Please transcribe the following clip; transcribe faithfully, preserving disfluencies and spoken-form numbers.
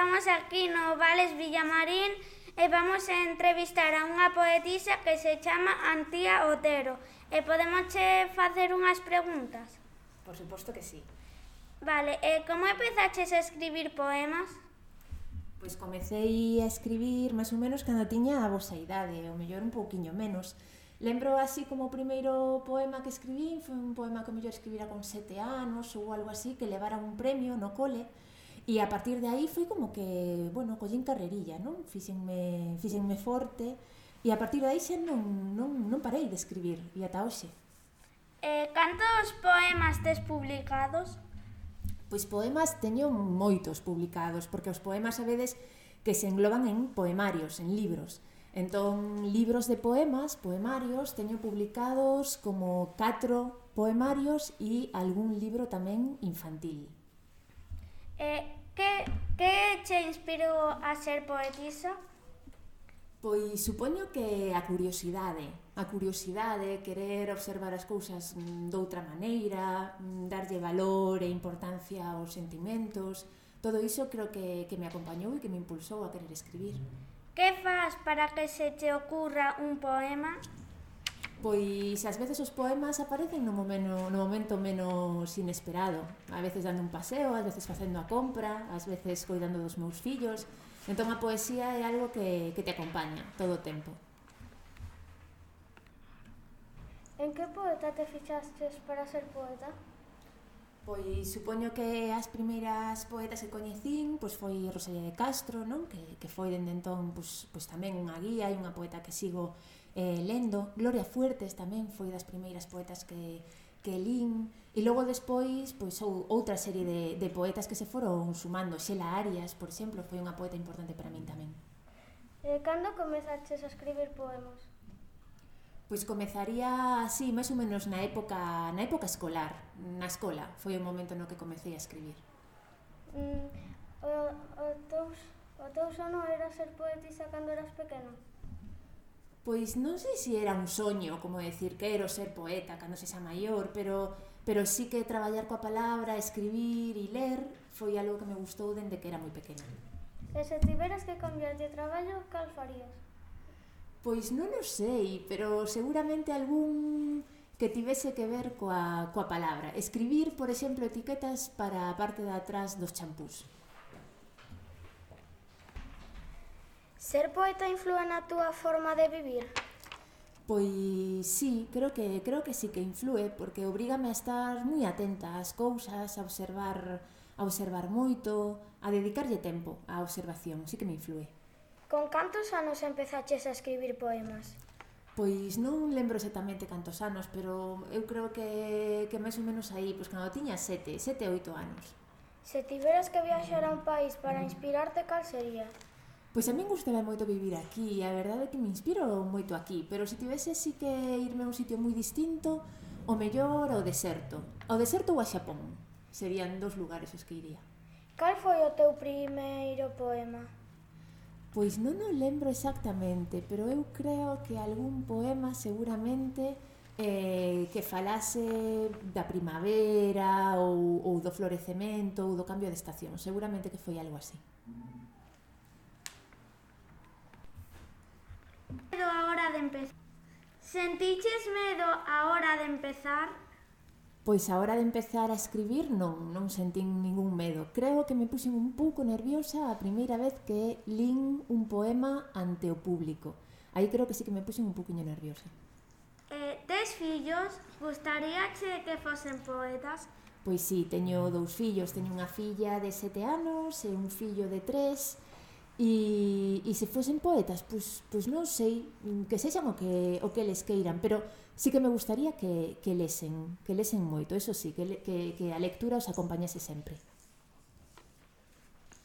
estamos aquí no Vales Villamarín e vamos a entrevistar a unha poetisa que se chama Antía Otero. E podemos che facer unhas preguntas? Por suposto que sí. Vale, e como empezaches a escribir poemas? Pois comecei a escribir máis ou menos cando tiña a vosa idade, ou mellor un pouquiño menos. Lembro así como o primeiro poema que escribí, foi un poema que o mellor escribira con sete anos ou algo así, que levara un premio no cole, e a partir de aí foi como que, bueno, collín carrerilla, non? Fíxenme, fíxenme forte, e a partir de aí xa non, non, non parei de escribir, e ata hoxe. Eh, cantos poemas tes publicados? Pois poemas teño moitos publicados, porque os poemas sabedes que se engloban en poemarios, en libros. Entón, libros de poemas, poemarios, teño publicados como catro poemarios e algún libro tamén infantil. Eh, que, que che inspirou a ser poetisa? Pois supoño que a curiosidade, a curiosidade, querer observar as cousas doutra maneira, darlle valor e importancia aos sentimentos, todo iso creo que, que me acompañou e que me impulsou a querer escribir. Que fas para que se te ocurra un poema? Pois ás veces os poemas aparecen no momento, no momento menos inesperado. A veces dando un paseo, ás veces facendo a compra, ás veces coidando dos meus fillos. Entón a poesía é algo que, que te acompaña todo o tempo. En que poeta te fixastes para ser poeta? Pois supoño que as primeiras poetas que coñecín pois foi Rosalía de Castro, non? Que, que foi dende entón pois, pois tamén unha guía e unha poeta que sigo eh, lendo. Gloria Fuertes tamén foi das primeiras poetas que, que lín. E logo despois pois ou, outra serie de, de poetas que se foron sumando. Xela Arias, por exemplo, foi unha poeta importante para min tamén. Eh, cando comezaches a escribir poemas? Pois comezaría así, máis ou menos na época, na época escolar, na escola, foi o momento no que comecei a escribir. Mm, o, o, teus, o teu sono era ser poetisa cando eras pequena? Pois non sei se era un soño, como decir, quero ser poeta cando sexa maior, pero, pero sí que traballar coa palabra, escribir e ler foi algo que me gustou dende que era moi pequena. E se tiveras que cambiar de traballo, cal farías? Pois non o sei, pero seguramente algún que tivese que ver coa, coa palabra. Escribir, por exemplo, etiquetas para a parte de atrás dos champús. Ser poeta inflúe na túa forma de vivir? Pois sí, creo que, creo que sí que inflúe, porque obrígame a estar moi atenta ás cousas, a observar, a observar moito, a dedicarlle tempo á observación, sí que me inflúe. Con cantos anos empezaches a escribir poemas? Pois non lembro exactamente cantos anos, pero eu creo que, que máis ou menos aí, pois cando tiña sete, sete, oito anos. Se tiveras que viaxar a un país para inspirarte, cal sería? Pois a min gustaba moito vivir aquí, a verdade é que me inspiro moito aquí, pero se tivese sí que irme a un sitio moi distinto, o mellor ao deserto. Ao deserto ou a Xapón, serían dos lugares os que iría. Cal foi o teu primeiro poema? Pois non o lembro exactamente, pero eu creo que algún poema seguramente eh, que falase da primavera ou, ou do florecemento ou do cambio de estación, seguramente que foi algo así. Medo a hora de empezar. Sentiches medo a hora de empezar? Pois a hora de empezar a escribir non, non sentín ningún medo. Creo que me puxen un pouco nerviosa a primeira vez que lín un poema ante o público. Aí creo que sí que me puxen un pouquiño nerviosa. Eh, tes fillos? Gustaríache que fosen poetas? Pois sí, teño dous fillos. Teño unha filla de sete anos e un fillo de tres. E, e se fosen poetas, pois, pois non sei, que sexan o que, o que les queiran, pero sí que me gustaría que, que lesen, que lesen moito, eso sí, que, que, que a lectura os acompañase sempre.